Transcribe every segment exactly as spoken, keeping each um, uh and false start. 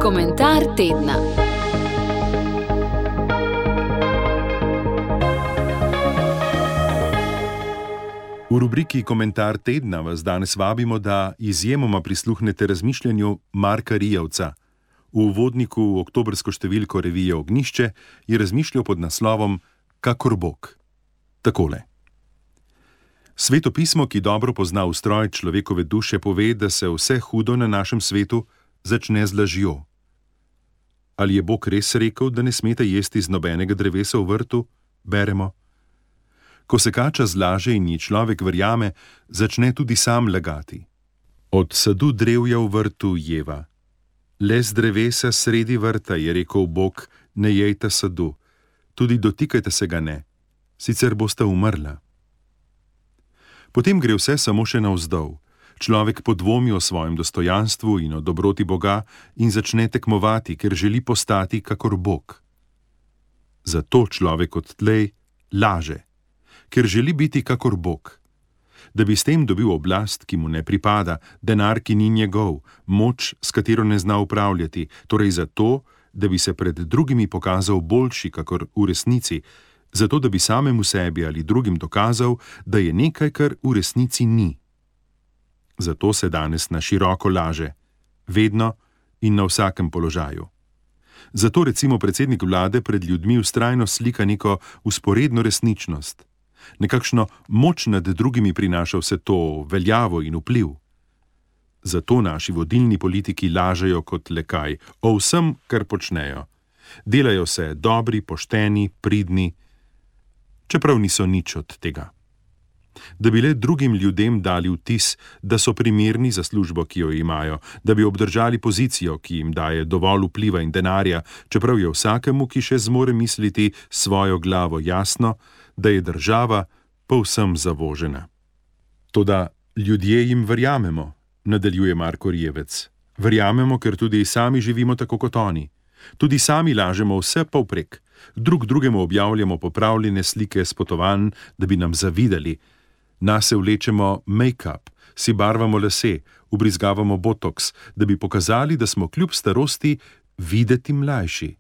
Komentar tedna. V rubriki Komentar tedna vas danes vabimo, da izjemoma prisluhnete razmišljanju Marka Rijevca. V uvodniku v oktobrsko številko revije Ognjišče je razmišljal pod naslovom Kakor Bog. Takole. Svetopismo, ki dobro pozna ustroj človekove duše, pove, da se vse hudo na našem svetu začne z lažjo. Ali je Bog res rekel, da ne smete jesti z nobenega drevesa v vrtu? Beremo. Ko se kača zlaže in ji človek verjame, začne tudi sam lagati. Od sadu drevja v vrtu jeva. Le z drevesa sredi vrta je rekel Bog, ne jejte sadu, tudi dotikajte se ga ne, sicer boste umrla. Potem gre vse samo še navzdol. Človek podvomi o svojem dostojanstvu in o dobroti Boga in začne tekmovati, ker želi postati kakor Bog. Zato človek odtlej laže, ker želi biti kakor Bog. Da bi s tem dobil oblast, ki mu ne pripada, denar, ki ni njegov, moč, s katero ne zna upravljati, torej zato, da bi se pred drugimi pokazal boljši kakor v resnici, zato da bi samemu sebi ali drugim dokazal, da je nekaj, kar v resnici ni. Zato se danes na široko laže, vedno in na vsakem položaju. Zato recimo predsednik vlade pred ljudmi vztrajno slika neko vzporedno resničnost. Nekakšno moč nad drugimi prinaša vse to veljavo in vpliv. Zato naši vodilni politiki lažejo kot le kaj o vsem, kar počnejo. Delajo se dobri, pošteni, pridni, čeprav niso nič od tega. Da bi le drugim ljudem dali vtis, da so primerni za službo, ki jo imajo, da bi obdržali pozicijo, ki jim daje dovolj vpliva in denarja, čeprav je vsakemu, ki še zmore misliti svojo glavo jasno, da je država povsem zavožena. Toda ljudje jim verjamemo, nadaljuje Marko Rijevec. Verjamemo, ker tudi sami živimo tako kot oni. Tudi sami lažemo vse povprek. Drug drugemu objavljamo popravljene slike s potovanj, da bi nam zavidali. Nase vlečemo make-up, si barvamo lase, ubrizgavamo botoks, da bi pokazali, da smo kljub starosti videti mlajši.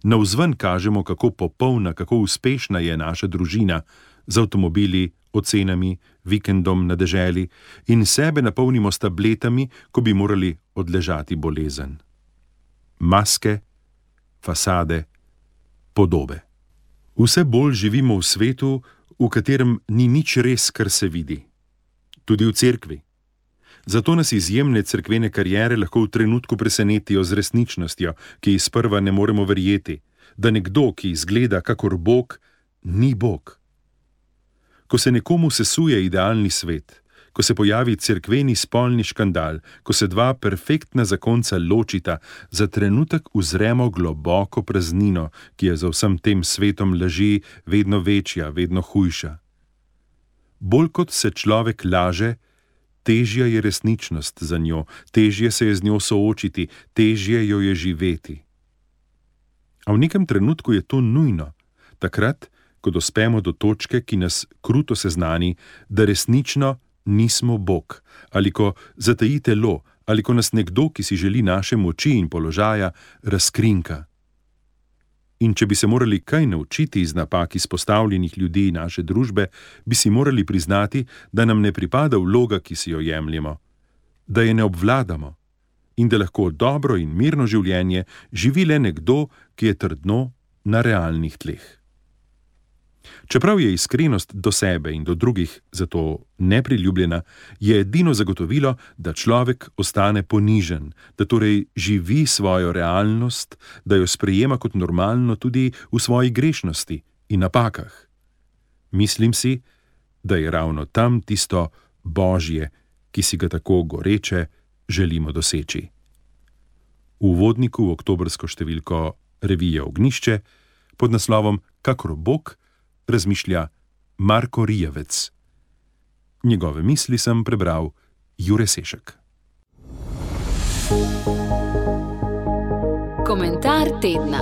Navzven kažemo, kako popolna, kako uspešna je naša družina, z avtomobili, ocenami, vikendom na deželi in sebe napolnimo s tabletami, ko bi morali odležati bolezen. Maske, fasade, podobe. Vse bolj živimo v svetu, v katerem ni nič res, kar se vidi. Tudi v cerkvi. Zato nas izjemne cerkvene kariere lahko v trenutku presenetijo z resničnostjo, ki sprva ne moremo verjeti, da nekdo, ki izgleda kakor Bog, ni Bog. Ko se nekomu sesuje idealni svet, ko se pojavi cerkveni spolni škandal, ko se dva perfektna zakonca ločita, za trenutek uzremo globoko praznino, ki je za vsem tem svetom laži vedno večja, vedno hujša. Bolj kot se človek laže, težja je resničnost za njo, težje se je z njo soočiti, težje jo je živeti. A v nekem trenutku je to nujno, takrat, ko dospemo do točke, ki nas kruto seznani, da resnično nismo Bog, ali ko zataji telo, ali ko nas nekdo, ki si želi naše moči in položaja, razkrinka. In če bi se morali kaj naučiti iz napak izpostavljenih ljudi naše družbe, bi si morali priznati, da nam ne pripada vloga, ki si jo jemljemo, da je ne obvladamo in da lahko dobro in mirno življenje živi le nekdo, ki je trdno na realnih tleh. Čeprav je iskrenost do sebe in do drugih zato nepriljubljena, je edino zagotovilo, da človek ostane ponižen, da torej živi svojo realnost, da jo sprejema kot normalno tudi v svoji grešnosti in napakah. Mislim si, da je ravno tam tisto Božje, ki si ga tako goreče želimo doseči. V uvodniku v oktobrsko številko revije Ognjišče pod naslovom Kakor Bog razmišlja Marko Rijevec. Njegove misli sem prebral Jure Sešek. Komentar tedna.